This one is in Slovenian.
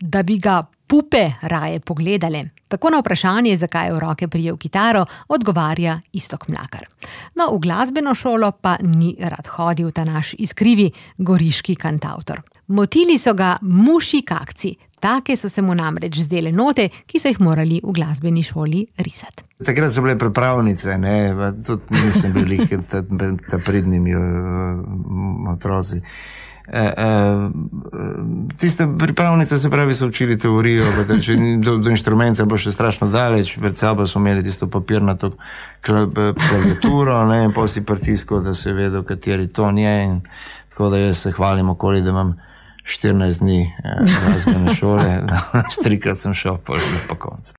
da bi ga pupe raje pogledale. Tako na vprašanje, zakaj je v roke prijel kitaro, odgovarja Iztok Mlakar. No, v glasbeno šolo pa ni rad hodil ta naš iskrivi goriški kantavtor. Motili so ga mušji kakci. Take so se mu namreč zdele note, ki so jih morali v glasbeni šoli risati. Takrat so bile pripravnice, tudi nisem bili ta pridnimi otroci. Tiste pripravnice, se pravi, so učili teorijo, če do inštrumenta bo še strašno daleč, pred sabo so imeli tisto papirnato klaviaturo, in potem si pritiskal, da se je vedel, kateri ton je, in tako da jaz se hvalim okoli, da imam 14 dni glasbene šole, 3-krat sem šel po koncu.